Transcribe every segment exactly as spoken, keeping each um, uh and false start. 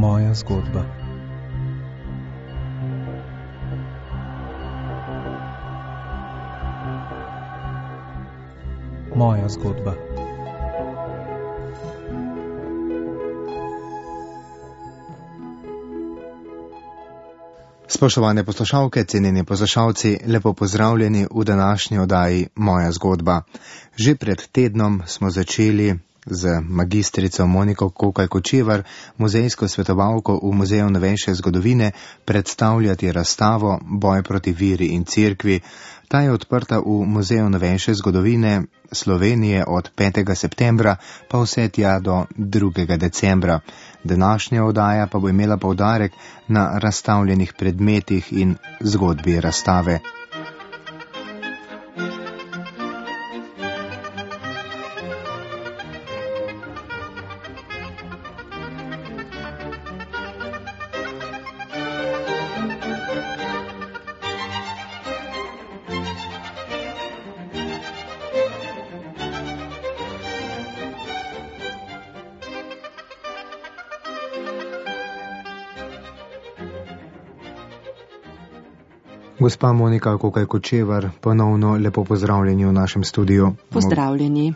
Moja zgodba. Moja zgodba. Spoštovane poslušalke, cenjeni poslušalci, lepo pozdravljeni v današnji oddaji Moja zgodba. Že pred tednom smo začeli z magistrico Moniko Kokaj Kočevar, muzejsko svetovalko v Muzeju novejše zgodovine, predstavljati razstavo Boj proti veri in cerkvi. Ta je odprta v Muzeju novejše zgodovine Slovenije od petega septembra pa vse tja do drugega decembra. Današnja oddaja pa bo imela poudarek na razstavljenih predmetih in zgodbi razstave. Gospa Monika Kokaj Kočevar, ponovno lepo pozdravljeni v našem studiu. Pozdravljeni.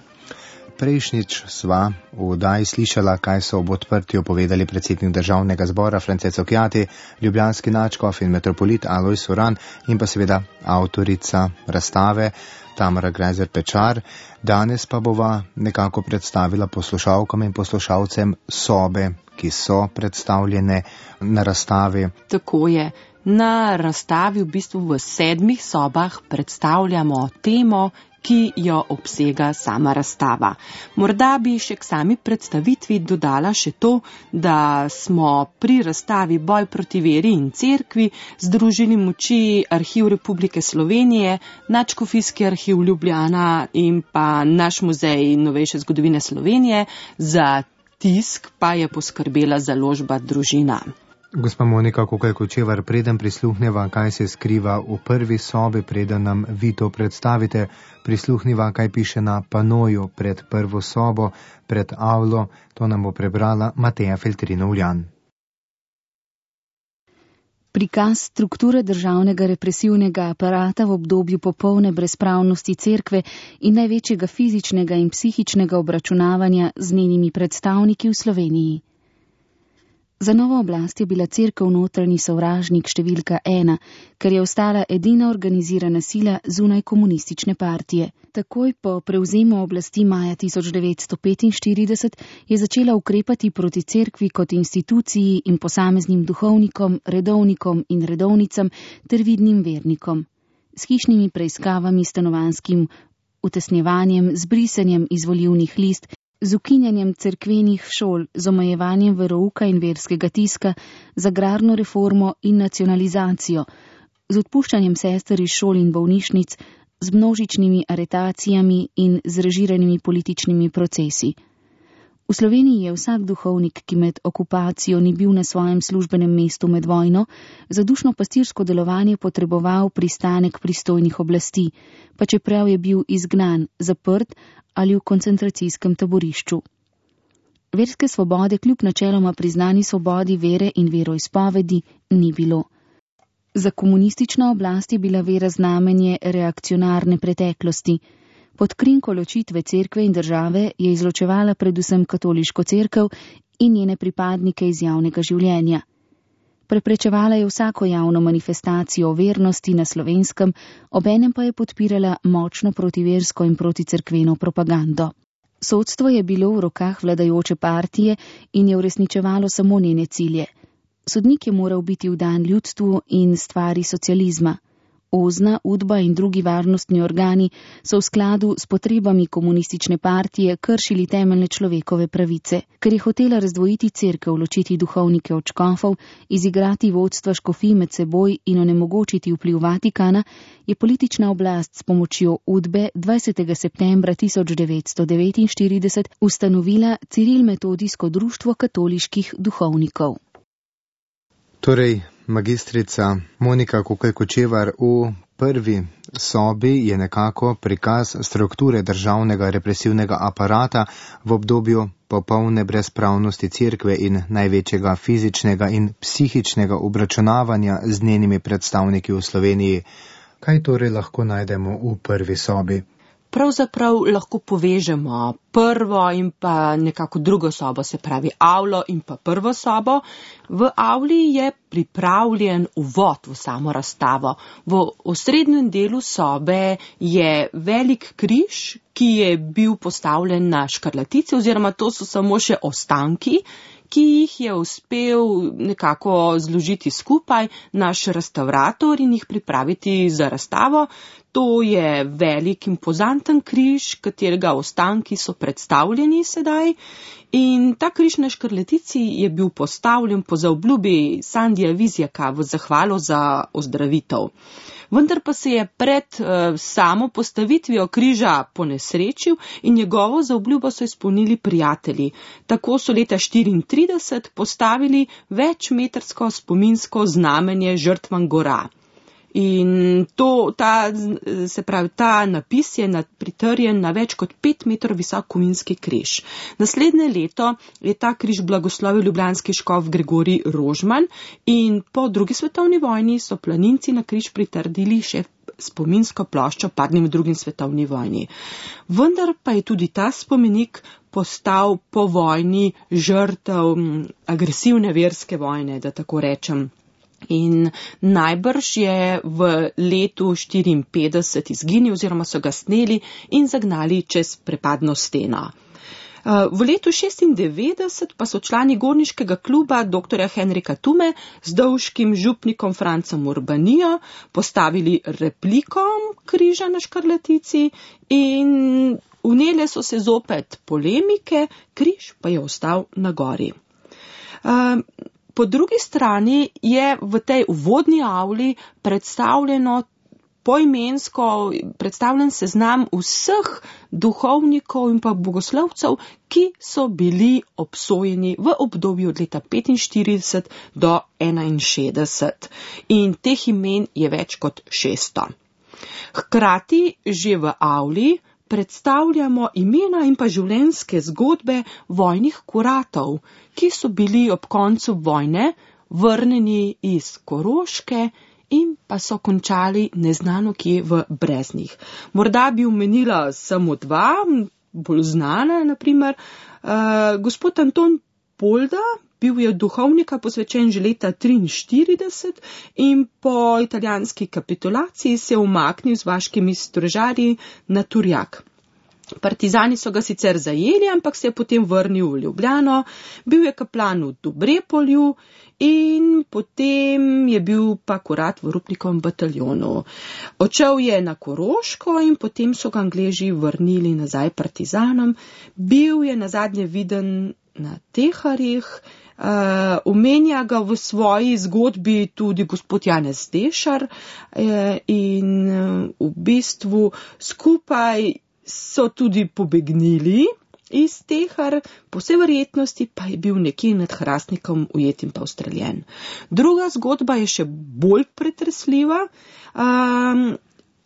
Prejšnjič sva v oddaji slišala, kaj so ob odprtju povedali predsednik Državnega zbora France Cukjati, ljubljanski nadškof in metropolit Alojz Uran in pa seveda avtorica razstave Tamara Greiser Pečar. Danes pa bova nekako predstavila poslušalkam in poslušalcem sobe, ki so predstavljene na razstavi. Tako je. Na razstavi v bistvu v sedmih sobah predstavljamo temo, ki jo obsega sama razstava. Morda bi še k sami predstavitvi dodala še to, da smo pri razstavi Boj proti veri in cerkvi združili moči Arhiv Republike Slovenije, Nadškofijski arhiv Ljubljana in pa naš Muzej novejše zgodovine Slovenije. Za tisk pa je poskrbela založba Družina. Gospa Monika Kokaj Kočevar, preden prisluhneva, kaj se skriva v prvi sobi, preden nam vi to predstavite, prisluhniva, kaj piše na panoju pred prvo sobo, pred avlo, to nam bo prebrala Mateja Feltrinov-Ljan. Prikaz strukture državnega represivnega aparata v obdobju popolne brezpravnosti cerkve in največjega fizičnega in psihičnega obračunavanja z njenimi predstavniki v Sloveniji. Za novo oblast je bila cerkev notranji sovražnik številka ena, ker je ostala edina organizirana sila zunaj komunistične partije. Takoj po prevzemu oblasti maja tisoč devetsto petinštirideset je začela ukrepati proti cerkvi kot instituciji in posameznim duhovnikom, redovnikom in redovnicam ter vidnim vernikom. S hišnimi preiskavami, stanovanjskim utesnjevanjem, z brisanjem izvolilnih list, z ukinjanjem cerkvenih šol, z omejevanjem verouka in verskega tiska, z agrarno reformo in nacionalizacijo, z odpuščanjem sester iz šol in bolnišnic, z množičnimi aretacijami in z režiranimi političnimi procesi. V Sloveniji je vsak duhovnik, ki med okupacijo ni bil na svojem službenem mestu med vojno, za dušno pastirsko delovanje potreboval pristanek pristojnih oblasti, pa čeprav je bil izgnan, zaprt ali v koncentracijskem taborišču. Verske svobode kljub načeloma priznani svobodi vere in veroizpovedi ni bilo. Za komunistično oblast je bila vera znamenje reakcionarne preteklosti. Pod krinko ločitve cerkve in države je izločevala predvsem katoliško cerkev in njene pripadnike iz javnega življenja. Preprečevala je vsako javno manifestacijo vernosti na Slovenskem, obenem pa je podpirala močno protiversko in proticerkveno propagando. Sodstvo je bilo v rokah vladajoče partije in je uresničevalo samo njene cilje. Sodnik je moral biti vdan ljudstvu in stvari socializma. Ozna, Udba in drugi varnostni organi so v skladu s potrebami komunistične partije kršili temeljne človekove pravice. Ker je hotela razdvojiti cerkev, ločiti duhovnike od škofov, izigrati vodstva škofij med seboj in onemogočiti vpliv Vatikana, je politična oblast s pomočjo Udbe dvajsetega septembra tisoč devetsto devetinštirideset ustanovila Ciril-metodijsko društvo katoliških duhovnikov. Torej, magistrica Monika Kokaj Kočevar, v prvi sobi je nekako prikaz strukture državnega represivnega aparata v obdobju popolne brezpravnosti cerkve in največjega fizičnega in psihičnega obračunavanja z njenimi predstavniki v Sloveniji. Kaj torej lahko najdemo v prvi sobi? Pravzaprav lahko povežemo prvo in pa nekako drugo sobo, se pravi avlo in pa prvo sobo. V avli je pripravljen uvod v samo razstavo. V osrednjem delu sobe je velik križ, ki je bil postavljen na škarlatici, oziroma to so samo še ostanki, ki jih je uspel nekako zložiti skupaj naš restavrator in jih pripraviti za razstavo. To je velik impozanten križ, katerega ostanki so predstavljeni sedaj. In ta križ na škarlatici je bil postavljen po zaobljubi Sandija Vizjaka v zahvalo za ozdravitev. Vendar pa se je pred uh, samo postavitvijo križa ponesrečil in njegovo zaobljubo so izpolnili prijatelji. Tako so leta štiriintrideset postavili večmetrsko spominsko znamenje žrtvam gora. In to, ta, se pravi, ta napis je pritrjen na več kot pet metrov visok kovinski križ. Naslednje leto je ta križ blagoslovil ljubljanski škof Gregorij Rožman in po drugi svetovni vojni so planinci na križ pritrdili še spominsko ploščo padlim v drugi svetovni vojni. Vendar pa je tudi ta spomenik postal po vojni žrtev agresivne verske vojne, da tako rečem. In najbrž je v letu štiriinpetdeset izginil oziroma so ga sneli in zagnali čez prepadno steno. V letu šestindevetdeset pa so člani gorniškega kluba doktorja Henrika Tume z dolškim župnikom Francem Urbanijo postavili repliko križa na škarlatici in vnele so se zopet polemike, križ pa je ostal na gori. Po drugi strani je v tej uvodni avli predstavljeno poimensko, predstavljen seznam vseh duhovnikov in pa bogoslovcev, ki so bili obsojeni v obdobju od leta petinštirideset do enainšestdeset. In teh imen je več kot šeststo. Hkrati že v avli predstavljamo imena in pa življenjske zgodbe vojnih kuratov, ki so bili ob koncu vojne vrnjeni iz Koroške in pa so končali neznano kje v Breznih. Morda bi omenila samo dva, bolj znana, naprimer, uh, gospod Anton Polda, bil je duhovnika posvečen že leta triinštirideset in po italijanski kapitulaciji se je umaknil z vaškimi stražarji na Turjak. Partizani so ga sicer zajeli, ampak se je potem vrnil v Ljubljano, bil je kaplan v Dobrepolju in potem je bil pa kurat v Rupnikovem bataljonu. Odšel je na Koroško in potem so ga Angleži vrnili nazaj partizanom. Bil je nazadnje viden na Teharjih, uh, omenja ga v svoji zgodbi tudi gospod Janez Dešar uh, in uh, v bistvu skupaj so tudi pobegnili iz Tehar, po vsej verjetnosti pa je bil nekje nad Hrastnikom ujet in pa ustreljen. Druga zgodba je še bolj pretresljiva. Um,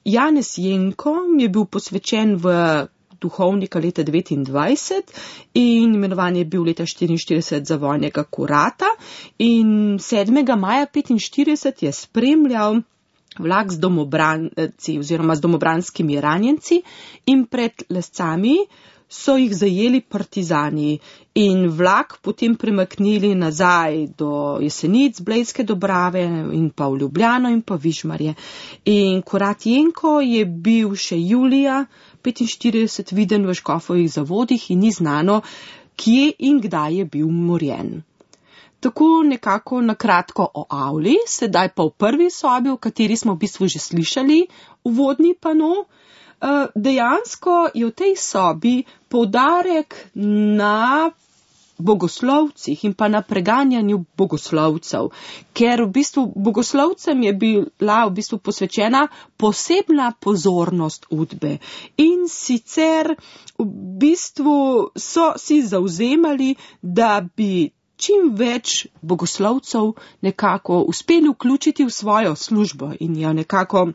Janez Jenko je bil posvečen v duhovnika leta devetindvajset in imenovan je bil leta štiriinštirideset za vojnega kurata in sedmega maja petinštirideset je spremljal vlak z domobranci oziroma z domobranskimi ranjenci in pred Lescami so jih zajeli partizani in vlak potem premaknili nazaj do Jesenic, Blejske Dobrave in pa v Ljubljano in pa Vižmarje. In kurat Jenko je bil še julija petinštirideset viden v Škofovih zavodih in ni znano, kje in kdaj je bil umorjen. Tako nekako na kratko o avli, sedaj pa v prvi sobi, v kateri smo v bistvu že slišali uvodni pano. Dejansko je v tej sobi poudarek na bogoslovcih in pa na preganjanju bogoslovcev, ker v bistvu bogoslovcem je bila v bistvu posvečena posebna pozornost Udbe in sicer v bistvu so si zavzemali, da bi čim več bogoslovcev nekako uspeli vključiti v svojo službo in jo nekako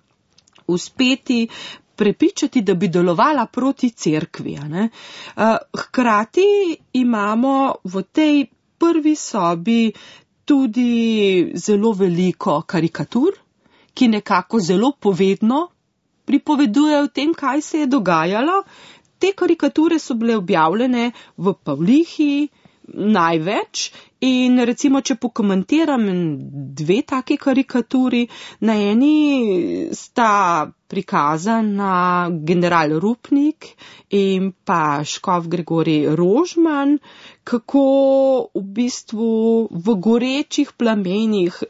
uspeti prepričati, da bi delovala proti cerkvi. Ne? Hkrati imamo v tej prvi sobi tudi zelo veliko karikatur, ki nekako zelo povedno pripovedujejo o tem, kaj se je dogajalo. Te karikature so bile objavljene v Pavlihi največ in recimo, če pokomentiram dve take karikaturi, na eni sta prikazana general Rupnik in pa škof Gregorij Rožman, kako v bistvu v gorečih plamenih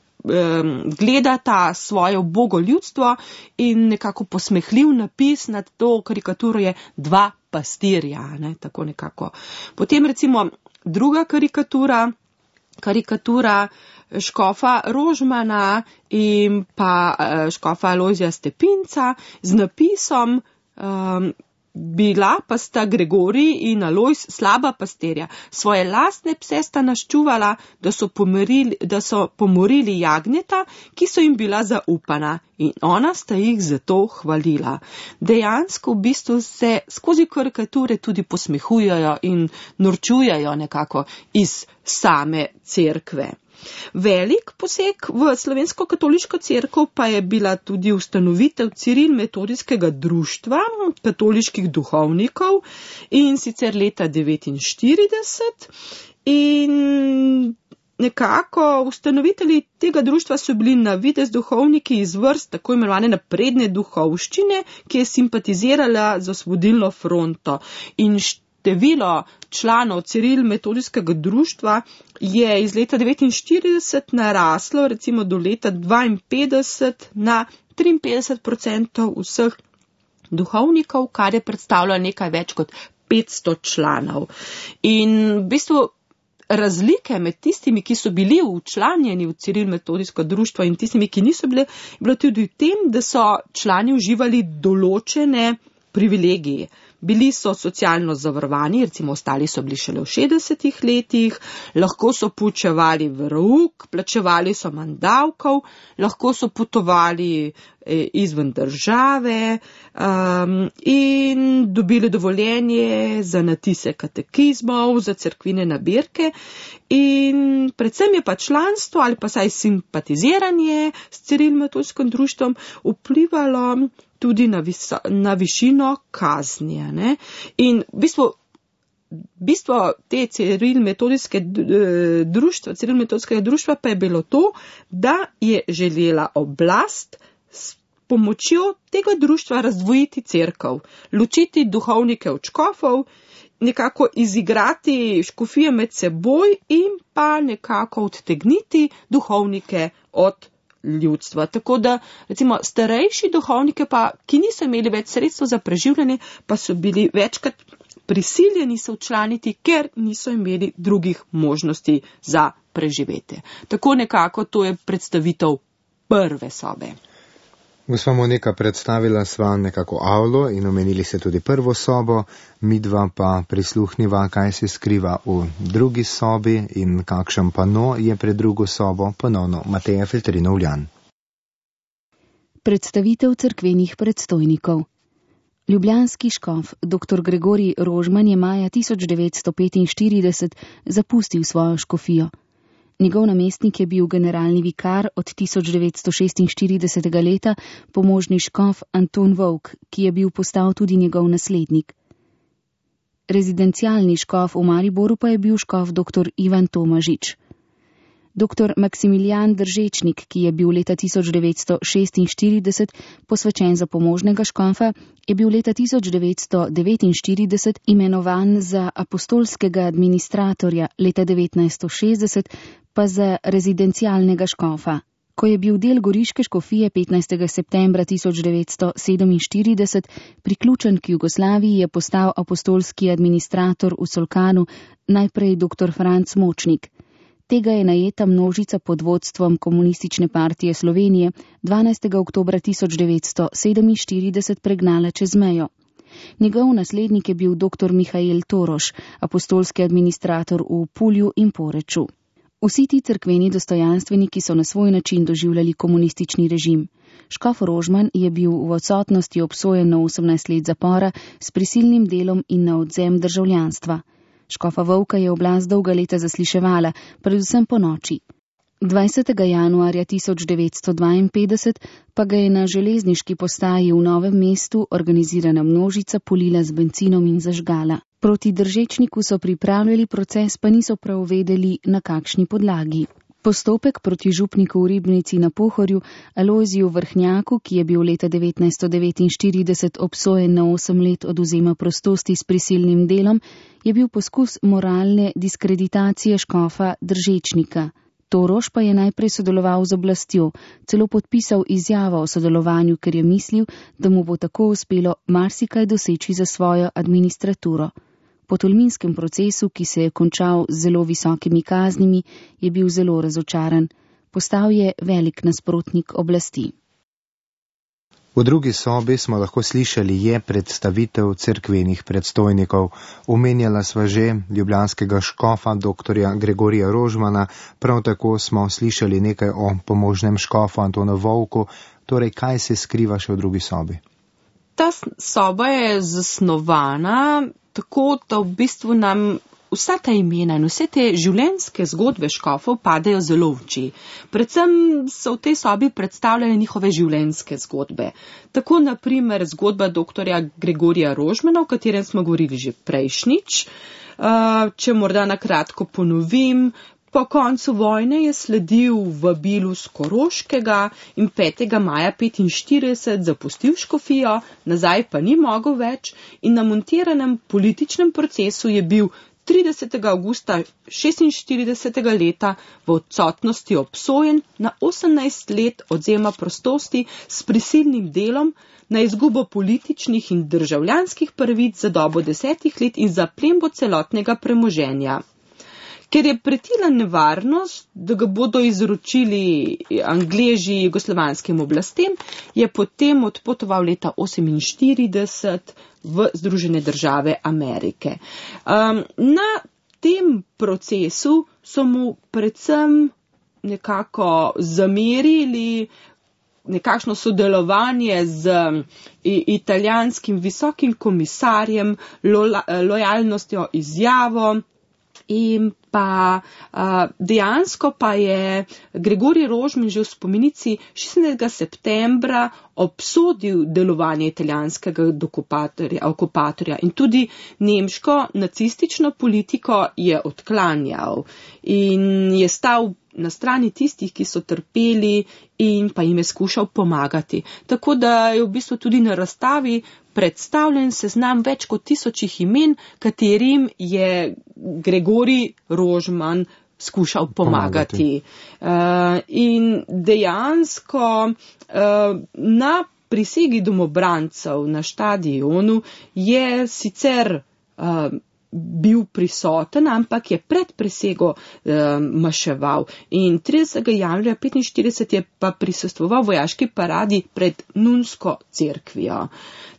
gledata svoje ubogo ljudstvo in nekako posmehljiv napis nad to karikaturo je dva pastirja, ne, tako nekako. Potem recimo druga karikatura, karikatura škofa Rožmana in pa škofa Alojzija Stepinca z napisom um, bila pa sta Gregorij in Alojz slaba pastirja. Svoje lastne pse sta naščuvala, da so, pomerili, da so pomorili jagnjeta, ki so jim bila zaupana in ona sta jih zato hvalila. Dejansko v bistvu se skozi karikature tudi posmehujejo in norčujejo nekako iz same cerkve. Velik poseg v slovensko katoliško cerkev pa je bila tudi ustanovitev Ciril-metodijskega društva katoliških duhovnikov in sicer leta devetinštirideset in nekako ustanovitelji tega društva so bili na videz duhovniki iz vrst tako imenovane napredne duhovščine, ki je simpatizirala z osvobodilno fronto in število članov Ciril-metodijskega društva je iz leta devetinštirideset naraslo recimo do leta dvainpetdeset na triinpetdeset odstotkov vseh duhovnikov, kar je predstavljalo nekaj več kot petsto članov. In v bistvu razlike med tistimi, ki so bili včlanjeni v Ciril-metodijsko društvo in tistimi, ki niso bili, je bilo tudi v tem, da so člani uživali določene privilegije. Bili so socialno zavarovani, recimo ostali so bili šele v šestdesetih letih, lahko so poučevali verouk, plačevali so manj davkov, lahko so potovali izven države um, in dobili dovoljenje za natise katekizmov, za cerkvine nabirke in predvsem je pa članstvo ali pa saj simpatiziranje s Ciril-metodijskim društvom vplivalo tudi na, viso, na višino kazni. Ne? In v bistvu, bistvo te Ciril-metodijske društva, Ciril-metodijskega društva pa je bilo to, da je želela oblast s pomočjo tega društva razdvojiti cerkev, ločiti duhovnike od škofov, nekako izigrati škofije med seboj in pa nekako odtegniti duhovnike od ljudstva. Tako da, recimo, starejši duhovnike pa, ki niso imeli več sredstev za preživljanje, pa so bili večkrat prisiljeni se včlaniti, ker niso imeli drugih možnosti za preživetje. Tako nekako to je predstavitev prve sobe. Gospa Monika, predstavila sva nekako avlo in omenili se tudi prvo sobo, midva pa prisluhniva, kaj se skriva v drugi sobi in kakšen pano je pred drugo sobo, ponovno Mateja Feltrinov-Ljan. Predstavitev cerkvenih predstojnikov. Ljubljanski škof dr. Gregorij Rožman je maja tisoč devetsto petinštirideset zapustil svojo škofijo. Njegov namestnik je bil generalni vikar od tisoč devetsto šestinštiridesetega leta pomožni škof Anton Volk, ki je bil postal tudi njegov naslednik. Rezidencialni škof v Mariboru pa je bil škof dr. Ivan Tomažič. dr. Maksimilijan Držečnik, ki je bil leta tisoč devetsto šestinštirideset posvečen za pomožnega škofa, je bil leta tisoč devetsto devetinštirideset imenovan za apostolskega administratorja, leta devetnajststo šestdeset pa za rezidencialnega škofa. Ko je bil del goriške škofije petnajstega septembra tisoč devetsto sedeminštirideset priključen k Jugoslaviji, je postal apostolski administrator v Solkanu najprej dr. Franc Močnik. Tega je najeta množica pod vodstvom Komunistične partije Slovenije dvanajstega oktobra tisoč devetsto sedeminštirideset pregnala čez mejo. Njegov naslednik je bil dr. Mihael Toroš, apostolski administrator v Pulju in Poreču. Vsi ti cerkveni dostojanstveniki so na svoj način doživljali komunistični režim. Škof Rožman je bil v odsotnosti obsojen na osemnajst let zapora s prisilnim delom in na odvzem državljanstva. Škofa Vovka je oblast dolga leta zasliševala, predvsem po noči. dvajsetega januarja tisoč devetsto dvainpetdeset pa ga je na železniški postaji v Novem mestu organizirana množica polila z bencinom in zažgala. Proti Držečniku so pripravljali proces, pa niso prav vedeli, na kakšni podlagi. Postopek proti župniku v Ribnici na Pohorju, Alojziju Vrhnjaku, ki je bil leta devetnajststo devetinštirideset obsojen na osem let odvzema prostosti s prisilnim delom, je bil poskus moralne diskreditacije škofa Držečnika. Toroš pa je najprej sodeloval z oblastjo, celo podpisal izjavo o sodelovanju, ker je mislil, da mu bo tako uspelo marsikaj doseči za svojo administraturo. Po tolminskem procesu, ki se je končal z zelo visokimi kaznimi, je bil zelo razočaran. Postal je velik nasprotnik oblasti. V drugi sobi smo lahko slišali je predstavitev cerkvenih predstojnikov. Omenjala sva že ljubljanskega škofa doktorja Gregorija Rožmana, prav tako smo slišali nekaj o pomožnem škofu Antonu Vovku. Torej, kaj se skriva še v drugi sobi? Ta soba je zasnovana tako, da v bistvu nam vsa ta imena in vse te življenjske zgodbe škofov padejo zelo v oči. Predvsem so v tej sobi predstavljene njihove življenjske zgodbe. Tako naprimer zgodba doktorja Gregorija Rožmana, o katerem smo govorili že prejšnjič. Če morda na kratko ponovim, po koncu vojne je sledil vabilu z Koroškega in petega maja petinštirideset zapustil škofijo, nazaj pa ni mogel več in na montiranem političnem procesu je bil tridesetega avgusta šestinštiridesetega leta v odsotnosti obsojen na osemnajst let odvzema prostosti s prisilnim delom, na izgubo političnih in državljanskih pravic za dobo desetih let in za plembo celotnega premoženja. Ker je pretila nevarnost, da ga bodo izročili Angleži jugoslovanskim oblastem, je potem odpotoval leta oseminštirideset v Združene države Amerike. Um, na tem procesu so mu predvsem nekako zamerili nekakšno sodelovanje z italijanskim visokim komisarjem, lo, lojalnostjo izjavo, in pa uh, dejansko pa je Gregorij Rožman že v spomenici šestnajstega septembra obsodil delovanje italijanskega okupatorja in tudi nemško nacistično politiko je odklanjal in je stal na strani tistih, ki so trpeli in pa jim je skušal pomagati. Tako da je v bistvu tudi na razstavi predstavljen seznam več kot tisočih imen, katerim je Gregorij Rožman skušal pomagati. pomagati. Uh, in dejansko uh, na prisegi domobrancev na štadionu je sicer uh, bil prisoten, ampak je pred prisego eh, maševal. In tridesetega januarja petinštirideset je pa prisostvoval vojaški paradi pred nunsko cerkvijo.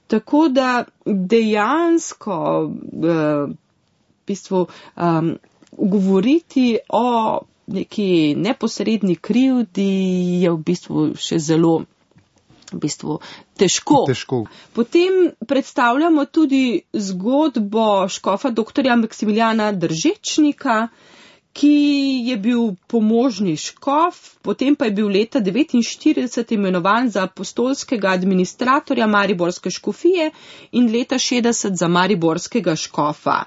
Tako da dejansko eh, v bistvu um, govoriti o neki neposredni krivdi je v bistvu še zelo v bistvu težko. težko. Potem predstavljamo tudi zgodbo škofa doktorja Maksimiljana Držečnika, ki je bil pomožni škof, potem pa je bil leta devetinštirideset imenovan za apostolskega administratorja Mariborske škofije in leta šestdeset za mariborskega škofa.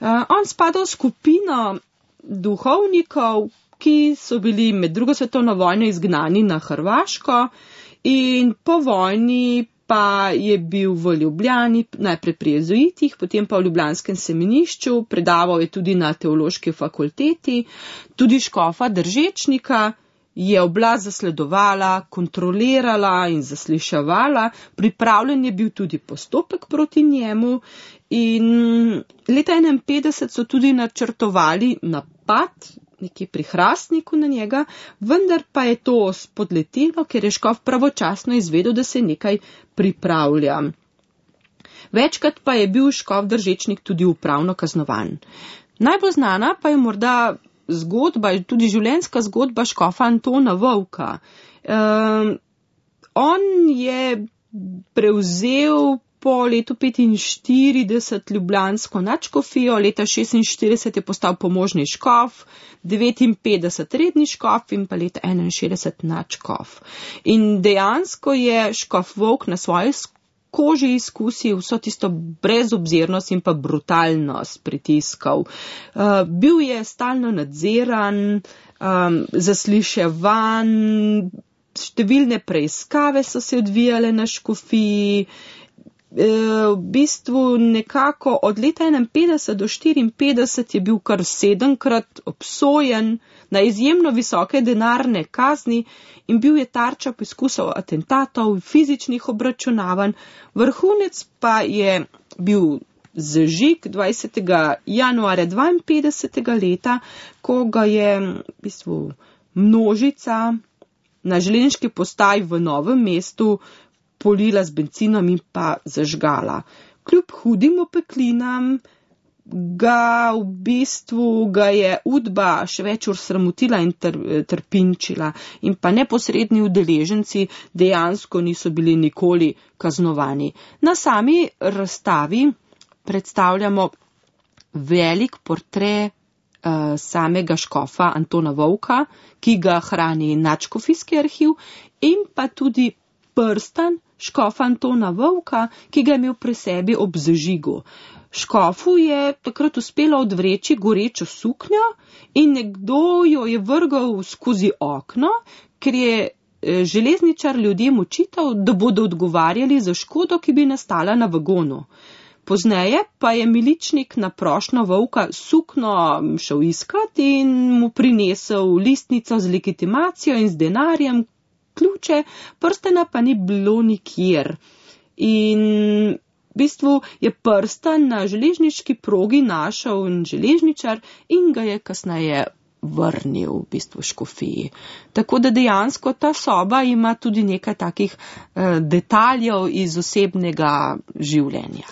Uh, on spada v skupino duhovnikov, ki so bili med drugo svetovno vojno izgnani na Hrvaško, in po vojni pa je bil v Ljubljani, najprej pri jezuitih, potem pa v ljubljanskem semenišču, predaval je tudi na teološki fakulteti, tudi škofa Držečnika je oblast zasledovala, kontrolirala in zasliševala, pripravljen je bil tudi postopek proti njemu in leta enainpetdeset so tudi načrtovali napad, nekje pri Hrastniku na njega, vendar pa je to spodletelo, ker je škof pravočasno izvedel, da se nekaj pripravlja. Večkrat pa je bil škof Držečnik tudi upravno kaznovan. Najbolj znana pa je morda zgodba, tudi življenjska zgodba škofa Antona Vovka. Um, on je prevzel po letu petinštirideset ljubljansko nadškofijo, leta šestinštirideset je postal pomožni škof, devetinpetdeset redni škof in pa leta enainšestdeset nadškof. In dejansko je škof Vovk na svoji koži izkusil vso tisto brezobzirnost in pa brutalnost pritiskov. Uh, bil je stalno nadziran, um, zasliševan, številne preiskave so se odvijale na škofiji. V bistvu nekako od leta enainpetdeset do štiriinpetdeset je bil kar sedemkrat obsojen na izjemno visoke denarne kazni in bil je tarča poskusov atentatov, fizičnih obračunavanj. Vrhunec pa je bil zažig dvajsetega januarja dvainpetdesetega leta, ko ga je v bistvu množica na železniški postaji v Novem mestu polila z bencinom in pa zažgala. Kljub hudim opeklinam ga v bistvu ga je Udba še več ur sramotila in ter, trpinčila in pa neposredni udeleženci dejansko niso bili nikoli kaznovani. Na sami razstavi predstavljamo velik portret uh, samega škofa Antona Vovka, ki ga hrani nadškofijski arhiv, in pa tudi prstan škofa Antona Vovka, ki ga je imel pri sebi ob zažigu. Škofu je takrat uspelo odvreči gorečo suknjo in nekdo jo je vrgal skozi okno, ker je železničar ljudem očital, da bodo odgovarjali za škodo, ki bi nastala na vagonu. Pozneje pa je miličnik na prošnjo Vovka sukno šel iskat in mu prinesel listnico z legitimacijo in z denarjem, ključe, prstena pa ni bilo nikjer. In v bistvu je prstan na železniški progi našel železničar in ga je kasneje vrnil v bistvu škofiji. Tako da dejansko ta soba ima tudi nekaj takih eh, detaljev iz osebnega življenja.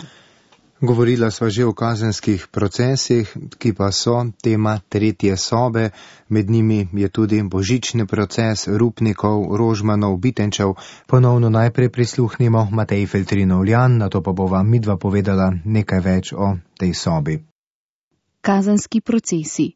Govorila sva že o kazenskih procesih, ki pa so tema tretje sobe. Med njimi je tudi božični proces Rupnikov, Rožmanov, Bitenčev. Ponovno najprej prisluhnimo Mateji Feltrinov-Ljan, nato pa bova midva povedala nekaj več o tej sobi. Kazenski procesi.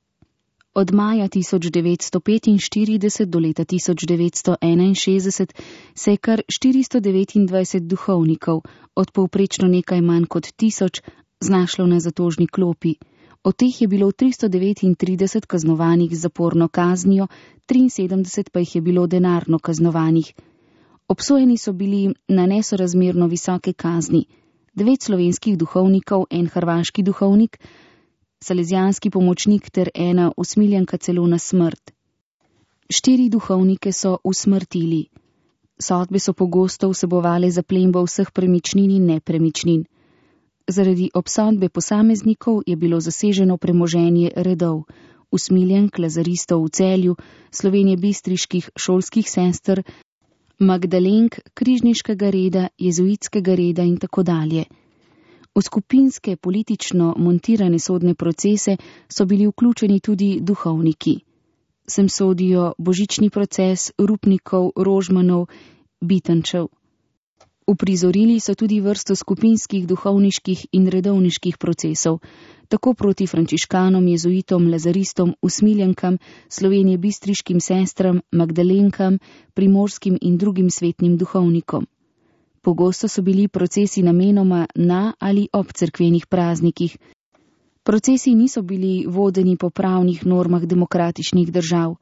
Od maja tisoč devetsto petinštirideset do leta tisoč devetsto enainšestdeset se je kar štiristo devetindvajset duhovnikov, od povprečno nekaj manj kot tisoč, znašlo na zatožni klopi. Od teh je bilo tristo devetintrideset kaznovanih z zaporno kaznijo, triinsedemdeset pa jih je bilo denarno kaznovanih. Obsojeni so bili na nesorazmerno visoke kazni. Devet slovenskih duhovnikov, en hrvaški duhovnik, salezijanski pomočnik ter ena usmiljenka celo na smrt. Štiri duhovnike so usmrtili. Sodbe so pogosto vsebovale zaplembo vseh premičnin in nepremičnin. Zaradi obsodbe posameznikov je bilo zaseženo premoženje redov, usmiljenk, lazaristov v Celju, Slovenije bistriških šolskih sester, Magdalenk, križniškega reda, jezuitskega reda in tako dalje. V skupinske politično montirane sodne procese so bili vključeni tudi duhovniki. Sem sodijo božični proces Rupnikov, Rožmanov, Bitenčev. Uprizorili so tudi vrsto skupinskih duhovniških in redovniških procesov, tako proti frančiškanom, jezuitom, lazaristom, usmiljenkam, Slovenije bistriškim sestram, Magdalenkam, primorskim in drugim svetnim duhovnikom. Pogosto so bili procesi namenoma na ali ob cerkvenih praznikih. Procesi niso bili vodeni po pravnih normah demokratičnih držav.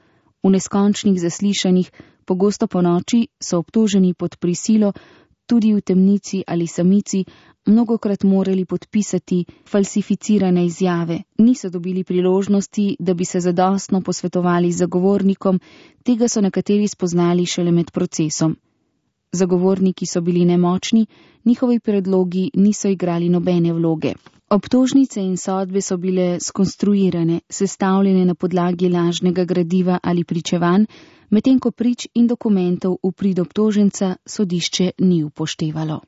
V neskončnih zaslišanjih, pogosto po noči, so obtoženi pod prisilo, tudi v temnici ali samici, mnogokrat morali podpisati falsificirane izjave. Niso dobili priložnosti, da bi se zadostno posvetovali z zagovornikom, tega so nekateri spoznali šele med procesom. Zagovorniki so bili nemočni, njihovi predlogi niso igrali nobene vloge. Obtožnice in sodbe so bile skonstruirane, sestavljene na podlagi lažnega gradiva ali pričevanj, medtem ko prič in dokumentov v prid obtoženca sodišče ni upoštevalo.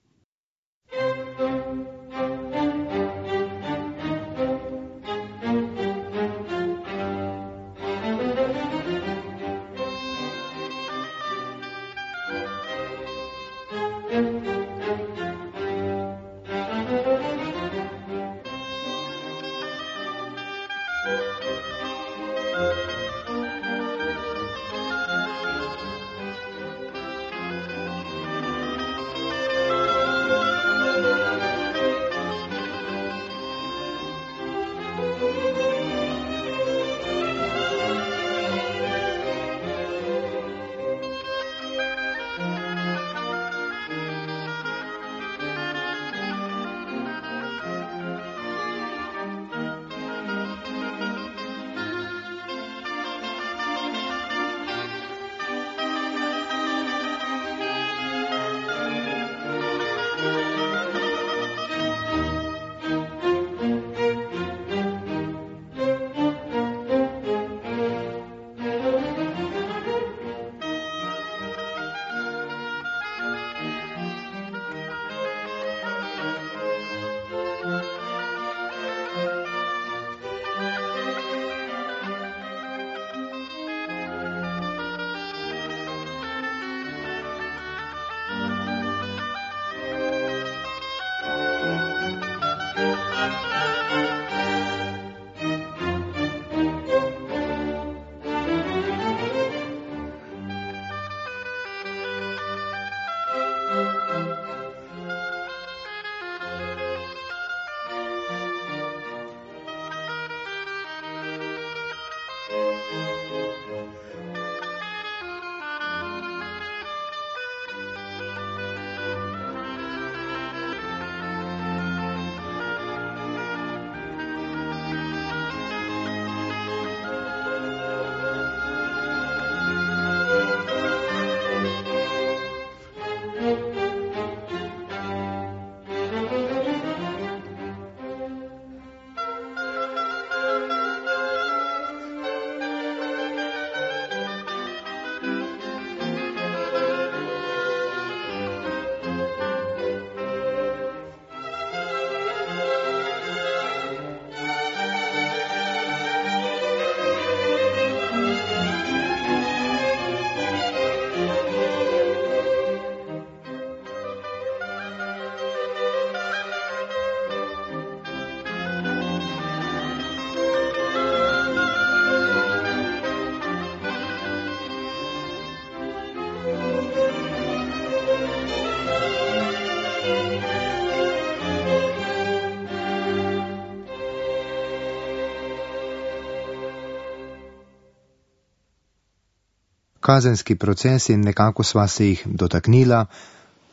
Kazenski procesi, nekako sva se jih dotaknila,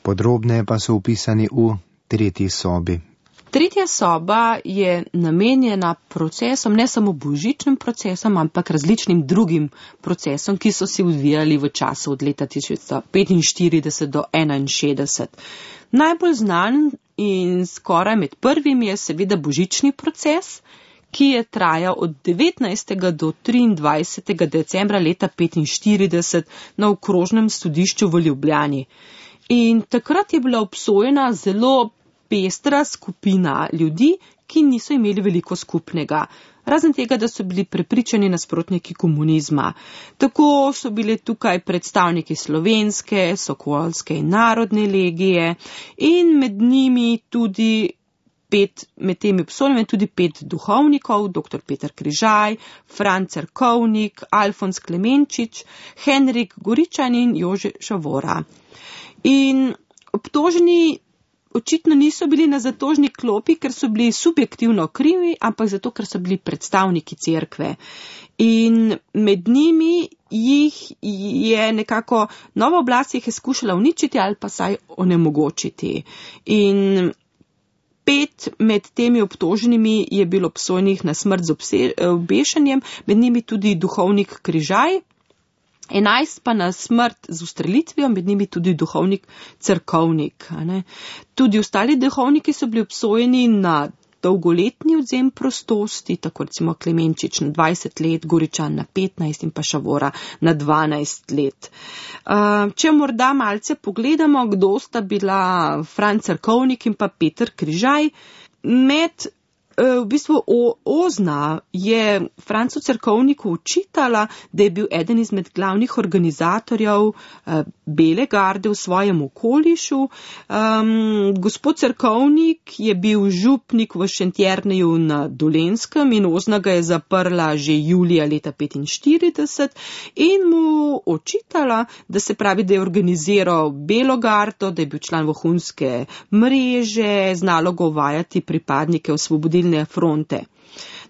podrobneje pa so upisani v tretji sobi. Tretja soba je namenjena procesom, ne samo božičnim procesom, ampak različnim drugim procesom, ki so se odvijali v času od leta tisoč devetsto petinštirideset do enainšestdeset. Najbolj znan in skoraj med prvimi je seveda božični proces, ki je trajal od devetnajstega do triindvajsetega decembra leta petinštirideset na okrožnem sodišču v Ljubljani. In takrat je bila obsojena zelo pestra skupina ljudi, ki niso imeli veliko skupnega. Razen tega, da so bili prepričani nasprotniki komunizma. Tako so bili tukaj predstavniki slovenske, sokolske in narodne legije in med njimi tudi pet, med temi obsojenimi tudi pet duhovnikov, doktor Peter Križaj, Franc Cerkovnik, Alfons Klemenčič, Henrik Goričan in Jože Šavora. In obtoženi očitno niso bili na zatožni klopi, ker so bili subjektivno krivi, ampak zato, ker so bili predstavniki cerkve. In med njimi jih je nekako nova oblast jih je skušala uničiti ali pa saj onemogočiti. In pet med temi obtoženimi je bilo obsojenih na smrt z obešanjem, med njimi tudi duhovnik Križaj, enajst pa na smrt z ustrelitvijo, med njimi tudi duhovnik Cerkovnik. Tudi ostali duhovniki so bili obsojeni na dolgoletni odzem prostosti, tako recimo Klemenčič na dvajset let, Goričan na petnajst in pa Šavora na dvanajst let. Če morda malce pogledamo, kdo sta bila Franc Cerkovnik in pa Peter Križaj, med V bistvu Ozna je Francu Cerkovniku učitala, da je bil eden izmed glavnih organizatorjev Bele garde v svojem okolišu. Um, gospod Cerkovnik je bil župnik v Šentjerneju na Dolenjskem in Ozna ga je zaprla že julija leta petinštirideset in mu učitala, da se pravi, da je organiziral Belo gardo, da je bil član vohunske mreže, znalo ga uvajati pripadnike osvobodilne fronte.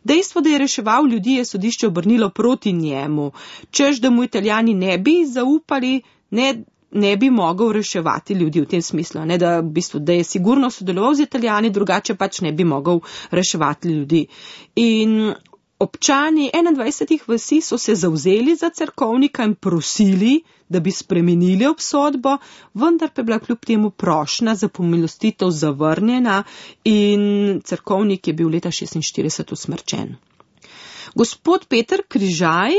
Dejstvo, da je reševal ljudi, je sodišče obrnilo proti njemu, čež da mu Italijani ne bi zaupali, ne, ne bi mogel reševati ljudi v tem smislu, ne, da, v bistvu, da je sigurno sodeloval z Italijani, drugače pač ne bi mogel reševati ljudi. In občani enaindvajsetih vasi so se zavzeli za Cerkovnika in prosili, da bi spremenili obsodbo, vendar pa je bila kljub temu prošnja za pomilostitev zavrnjena in Cerkovnik je bil leta šestinštirideset usmrčen. Gospod Peter Križaj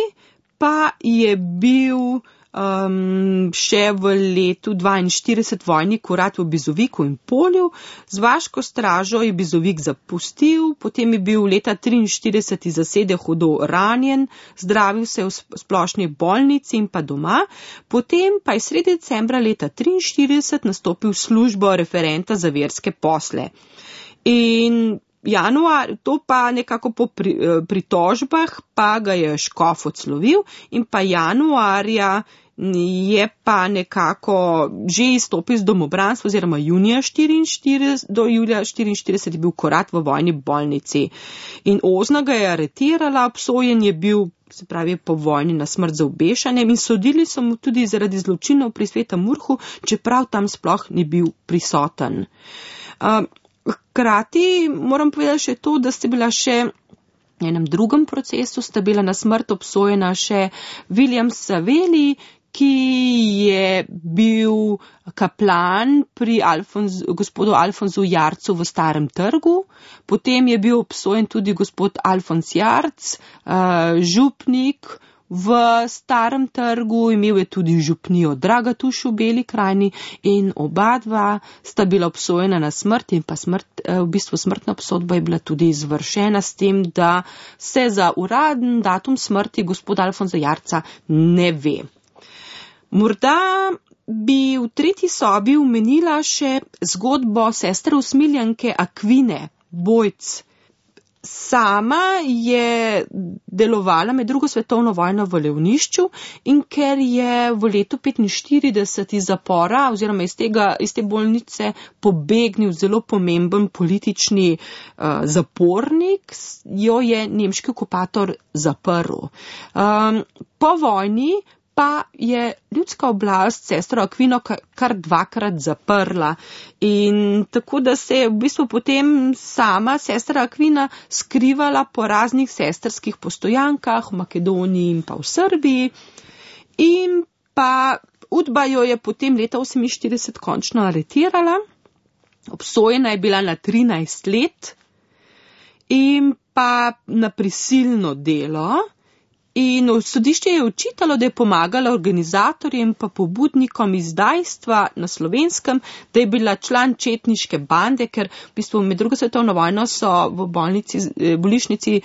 pa je bil um, še v letu dvainštirideset vojnik urad v Bizoviku in Polju, z vaško stražo je Bizovik zapustil, potem je bil leta triinštirideset iz zasede hudo ranjen, zdravil se v splošni bolnici in pa doma, potem pa je sredi decembra leta triinštirideset nastopil v službo referenta za verske posle. In januar, to pa nekako po pritožbah pa ga je škof odslovil in pa januarja je pa nekako že izstopil iz domobranstva oziroma junija štiriinštirideset do julija štiriinštirideset je bil korat v vojni bolnici. In Ozna ga je aretirala, obsojen je bil, se pravi, po vojni na smrt za obešanjem in sodili so mu tudi zaradi zločinov pri Svetem Urhu, čeprav tam sploh ni bil prisoten. Hkrati moram povedati še to, da ste bila še v enem drugem procesu, sta bila na smrt obsojena še William Savelli, ki je bil kaplan pri Alfonz, gospodu Alfonzu Jarcu v Starem trgu, potem je bil obsojen tudi gospod Alfonz Jarc, župnik v Starem trgu, imel je tudi župnijo Dragatuš v Beli krajini in oba dva sta bila obsojena na smrt in pa smrt, v bistvu smrtna obsodba je bila tudi izvršena s tem, da se za uraden datum smrti gospoda Alfonza Jarca ne ve. Morda bi v tretji sobi omenila še zgodbo sestre usmiljanke Akvine, Bojc. Sama je delovala med drugo svetovno vojno v Levnišču in ker je v letu petinštirideset iz zapora oziroma iz, tega, iz te bolnice pobegnil zelo pomemben politični uh, zapornik, jo je nemški okupator zaprl. Um, po vojni pa je ljudska oblast sestro Akvino kar dvakrat zaprla. In tako, da se je v bistvu potem sama sestra Akvina skrivala po raznih sestrskih postojankah v Makedoniji in pa v Srbiji. In pa Udba jo je potem leta oseminštirideset končno aretirala. Obsojena je bila na trinajst let in pa na prisilno delo. In sodišče je očitalo, da je pomagala organizatorjem pa pobudnikom izdajstva na Slovenskem, da je bila član četniške bande, ker v bistvu med drugo svetovno vojno so v bolnici, bolnišnici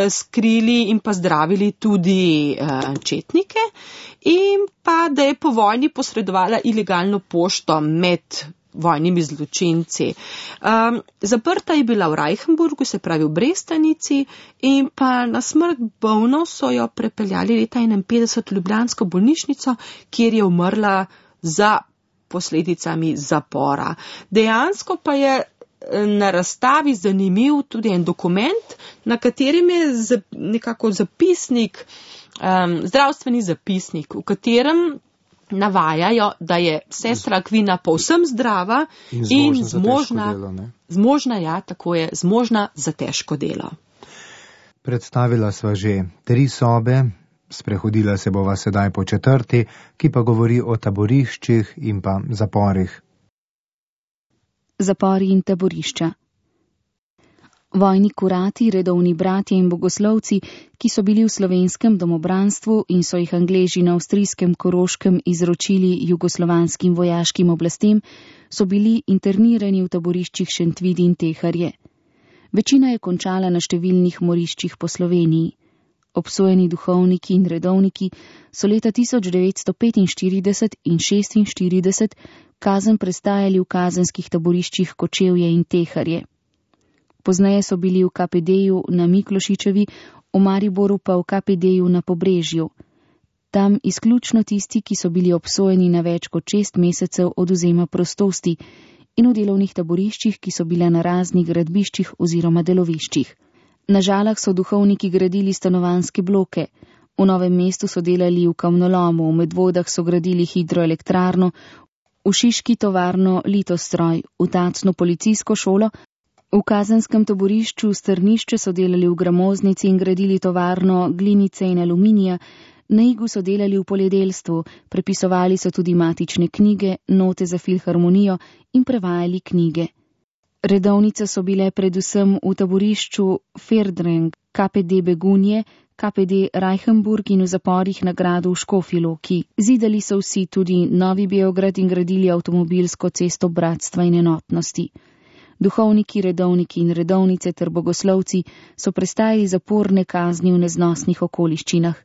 skrili in pa zdravili tudi četnike, in pa da je po vojni posredovala ilegalno pošto med vojnimi zločinci. Um, zaprta je bila v Reichenburgu, se pravi v Brestanici, in pa na smrt bolno so jo prepeljali leta enainpetdeset v ljubljansko bolnišnico, kjer je umrla za posledicami zapora. Dejansko pa je na razstavi zanimiv tudi en dokument, na katerem je nekako zapisnik, um, zdravstveni zapisnik, v katerem navajajo, da je sestra Akvina povsem zdrava in zmožna, in zmožna, delo, zmožna, ja, tako je, zmožna za težko delo. Predstavila sva že tri sobe, sprehodila se bova sedaj po četrti, ki pa govori o taboriščih in pa zaporih. Zapori in taborišča. Vojni kurati, redovni bratje in bogoslovci, ki so bili v slovenskem domobranstvu in so jih Angleži na avstrijskem Koroškem izročili jugoslovanskim vojaškim oblastem, so bili internirani v taboriščih Šentvidi in Teharje. Večina je končala na številnih moriščih po Sloveniji. Obsojeni duhovniki in redovniki so leta tisoč devetsto petinštirideset in šestinštirideset kazen prestajali v kazenskih taboriščih Kočevje in Teharje. Pozneje so bili v K P D-ju na Miklošičevi, v Mariboru pa v K P D-ju na Pobrežju. Tam izključno tisti, ki so bili obsojeni na več kot šest mesecev odvzema prostosti, in v delovnih taboriščih, ki so bile na raznih gradbiščih oziroma deloviščih. Na Žalah so duhovniki gradili stanovanjske bloke, v Novem mestu so delali v kamnolomu, v Medvodah so gradili hidroelektrarno, v Šiški tovarno Litostroj, v Tacnu policijsko šolo, v kazenskem taborišču Strnišče so delali v gramoznici in gradili tovarno glinice in aluminija, na Igu so delali v poljedelstvu, prepisovali so tudi matične knjige, note za filharmonijo in prevajali knjige. Redovnice so bile predvsem v taborišču Ferdreng, K P D Begunje, K P D Reichenburg in v zaporih na gradu v Škofji Loki. Zidali so vsi tudi Novi Beograd in gradili avtomobilsko cesto bratstva in enotnosti. Duhovniki, redovniki in redovnice ter bogoslovci so prestajali zaporne kazni v neznosnih okoliščinah.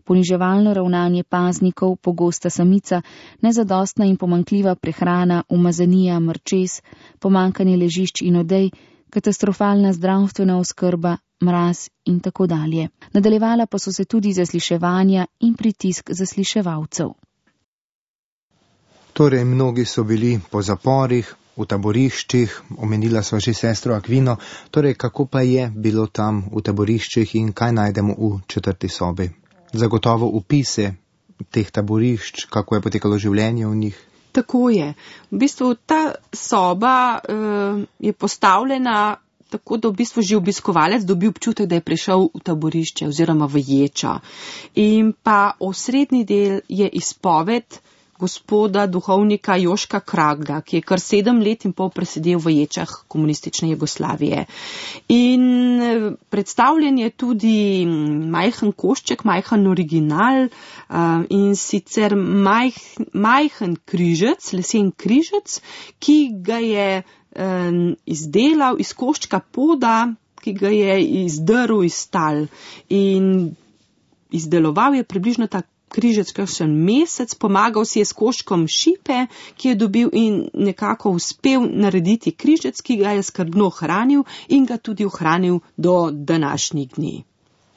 Poniževalno ravnanje paznikov, pogosta samica, nezadostna in pomankljiva prehrana, umazanija, mrčes, pomankanje ležišč in odej, katastrofalna zdravstvena oskrba, mraz in tako dalje. Nadaljevala pa so se tudi zasliševanja in pritisk zasliševalcev. Torej, mnogi so bili po zaporih, v taboriščih, omenila sva že sestro Akvino, torej kako pa je bilo tam v taboriščih in kaj najdemo v četrti sobi? Zagotovo opise teh taborišč, kako je potekalo življenje v njih. Tako je. V bistvu ta soba uh, je postavljena tako, da v bistvu že obiskovalec dobi občutek, da je prišel v taborišče oziroma v ječo. In pa osrednji del je izpoved gospoda duhovnika Joška Kragla, ki je kar sedem let in pol presedel v ječah komunistične Jugoslavije. In predstavljen je tudi majhen košček, majhen original in sicer maj, majhen križec, lesen križec, ki ga je izdelal iz koščka poda, ki ga je izdrl iz tal. In izdeloval je približno tak križec kakšen mesec, pomagal si je s koščkom šipe, ki je dobil in nekako uspel narediti križec, ki ga je skrbno hranil in ga tudi ohranil do današnjih dni.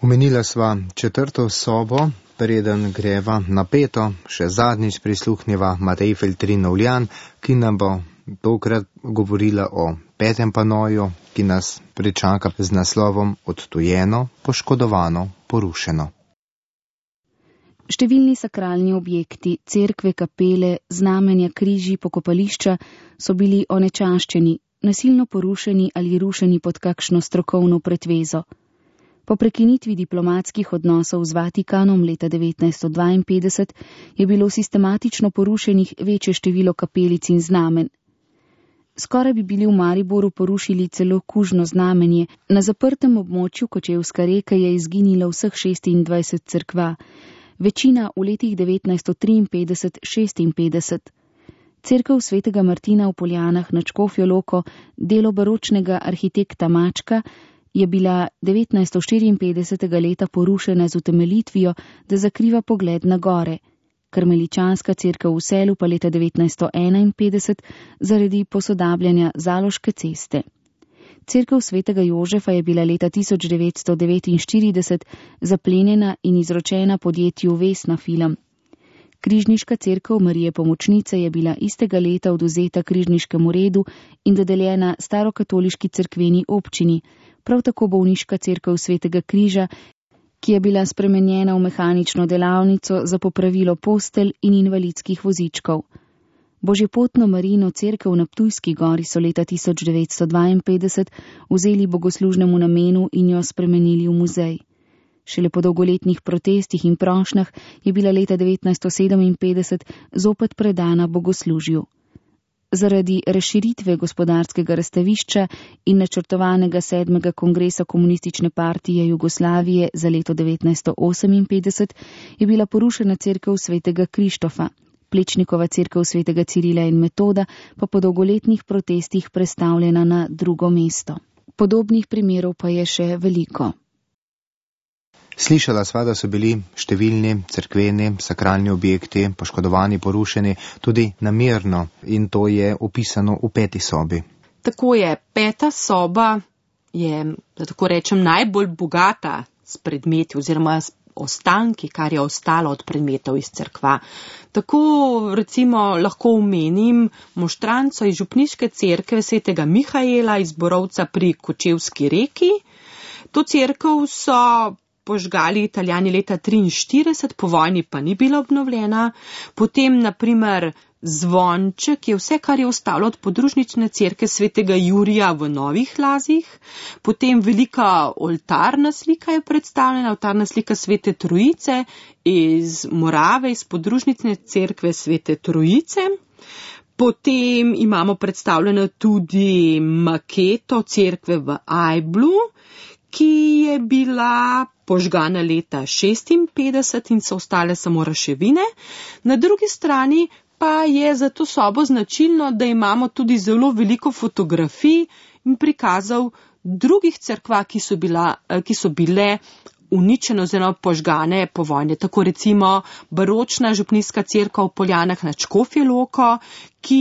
Omenila sva četrto sobo, preden greva napeto, še zadnjič prisluhneva Matej Feltrin-Ovljan, ki nam bo tokrat govorila o petem panoju, ki nas pričaka z naslovom Odtujeno, poškodovano, porušeno. Številni sakralni objekti, cerkve, kapele, znamenja, križi, pokopališča so bili onečaščeni, nasilno porušeni ali rušeni pod kakšno strokovno pretvezo. Po prekinitvi diplomatskih odnosov z Vatikanom leta devetnajststo dvainpetdeset je bilo sistematično porušenih večje število kapelic in znamen. Skoraj bi bili v Mariboru porušili celo kužno znamenje, na zaprtem območju Kočevska Reka je izginilo vseh šestindvajset cerkva, večina v letih devetnajststo triinpetdeset šestinpetdeset. Cerkev svetega Martina v Poljanah nad Škofjo Loko, delo baročnega arhitekta Mačka, je bila devetnajststo štiriinpetdesetega leta porušena z utemeljitvijo, da zakriva pogled na gore. Karmeličanska cerkev v Selu pa leta devetnajststo enainpetdeset zaradi posodabljanja Zaloške ceste. Cerkev svetega Jožefa je bila leta tisoč devetsto devetinštirideset zaplenjena in izročena podjetju Vesna Film. Križniška cerkev Marije Pomočnice je bila istega leta odvzeta križniškemu redu in dodeljena starokatoliški cerkveni občini, prav tako bolniška cerkev svetega Križa, ki je bila spremenjena v mehanično delavnico za popravilo postelj in invalidskih vozičkov. Božjepotno Marijino cerkev na Ptujski gori so leta tisoč devetsto dvainpetdeset vzeli bogoslužnemu namenu in jo spremenili v muzej. Šele po dolgoletnih protestih in prošnjah je bila leta devetnajststo sedeminpetdeset zopet predana bogoslužju. Zaradi razširitve gospodarskega razstavišča in načrtovanega sedmega kongresa Komunistične partije Jugoslavije za leto devetnajststo oseminpetdeset je bila porušena cerkev svetega Krištofa, Plečnikova cerkev svetega Cirila in Metoda pa po dolgoletnih protestih prestavljena na drugo mesto. Podobnih primerov pa je še veliko. Slišala sva, da so bili številni cerkveni, sakralni objekti poškodovani, porušeni tudi namerno in to je opisano v peti sobi. Tako je, peta soba je, da tako rečem, najbolj bogata s predmeti oziroma s ostanki, kar je ostalo od predmetov iz cerkva. Tako recimo lahko omenim moštranco iz župniške cerkve svetega Mihaela iz Borovca pri Kočevski Reki. To cerkev so požgali Italijani leta triinštirideset, po vojni pa ni bila obnovljena. Potem, naprimer, zvonček je vse, kar je ostalo od podružnične cerkve svetega Jurija v Novih Lazih. Potem velika oltarna slika je predstavljena, oltarna slika svete Trojice iz Morave, iz podružnične cerkve svete Trojice. Potem imamo predstavljeno tudi maketo cerkve v Ajblu, ki je bila požgana leta šestinpetdeset in so ostale samo raševine. Na drugi strani pa je za to sobo značilno, da imamo tudi zelo veliko fotografij in prikazov drugih cerkva, ki so, bila, ki so bile uničene oziroma požgane po vojni. Tako recimo baročna župnijska cerkev v Poljanah nad Škofjo Loko, ki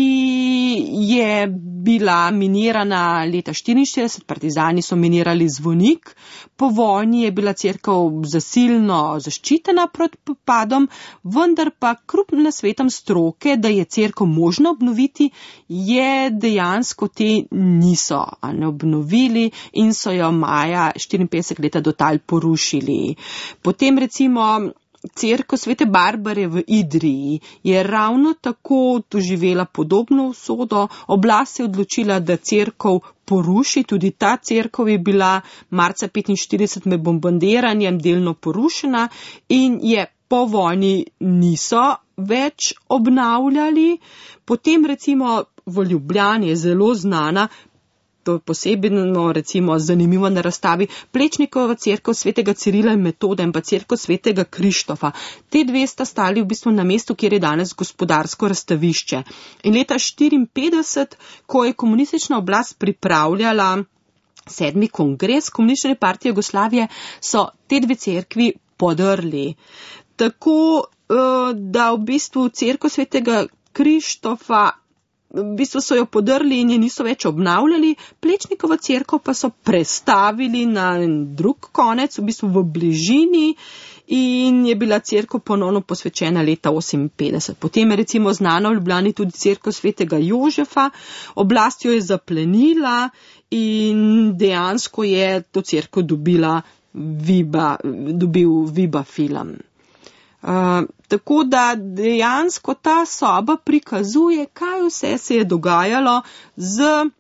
je bila minirana leta štiriinštirideset, partizani so minirali zvonik. Po vojni je bila cerkev zasilno zaščitena pred popadom, vendar pa kljub nasvetom stroke, da je cerkev možno obnoviti, je dejansko te niso ne obnovili in so jo maja štiriinpetdeset leta do tal porušili. Potem recimo cerkev svete Barbare v Idriji je ravno tako doživela podobno usodo. Oblast se je odločila, da cerkev poruši. Tudi ta cerkev je bila marca petinštirideset med bombardiranjem delno porušena in je po vojni niso več obnavljali. Potem recimo v Ljubljani je zelo znana, to je posebno recimo zanimivo na razstavi, Plečnikova cerkev svetega Cirila in Metoda in pa cerkev svetega Krištofa. Te dve sta stali v bistvu na mestu, kjer je danes gospodarsko razstavišče. In leta štiriinpetdeset, ko je komunistična oblast pripravljala sedmi kongres Komunistične partije Jugoslavije, so te dve cerkvi podrli. Tako da v bistvu cerkev svetega Krištofa v bistvu so jo podrli in je niso več obnavljali, Plečnikova cerkev pa so prestavili na drug konec, v bistvu v bližini, in je bila cerkev ponovno posvečena leta oseminpetdeset. Potem je recimo znana v Ljubljani tudi cerkev svetega Jožefa, oblast jo je zaplenila in dejansko je to cerkev dobila Viba, dobil Viba film. Uh, tako da dejansko ta soba prikazuje, kaj vse se je dogajalo z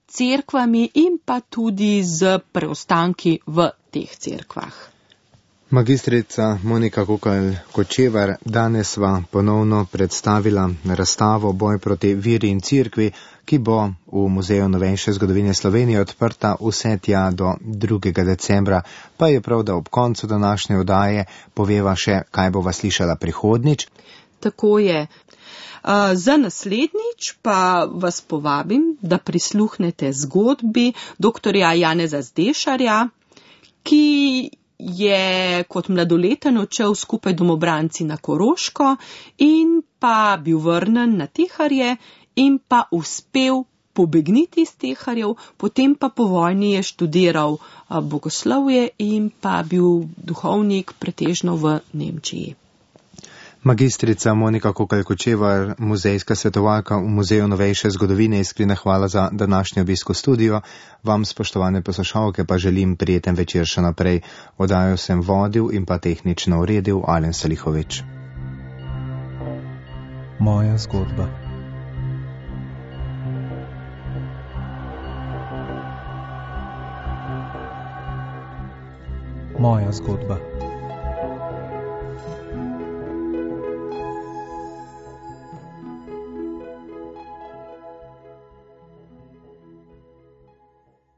cerkvami in pa tudi z preostanki v teh cerkvah. Magistrica Monika Kokalj-Kočevar, danes sva ponovno predstavila razstavo Boj proti veri in cerkvi, ki bo v Muzeju novejše zgodovine Slovenije odprta vse tja do drugega decembra, pa je prav, da ob koncu današnje oddaje poveva še, kaj bova slišala prihodnjič. Tako je. Uh, za naslednjič pa vas povabim, da prisluhnete zgodbi doktorja Janeza Zdešarja, ki je kot mladoleten odšel skupaj domobranci na Koroško in pa bil vrnen na Teharje in pa uspel pobegniti iz Teharjev, potem pa po vojni je študiral uh, bogoslovje in pa bil duhovnik pretežno v Nemčiji. Magistrica Monika Kokalj-Kočevar, muzejska svetovalka v Muzeju novejše zgodovine, iskrena hvala za današnji obisk v studio. Vam, spoštovane poslušalke, pa želim prijeten večer še naprej. Oddajo sem vodil in pa tehnično uredil Alen Salihovič. Moja zgodba. Moja zgodba.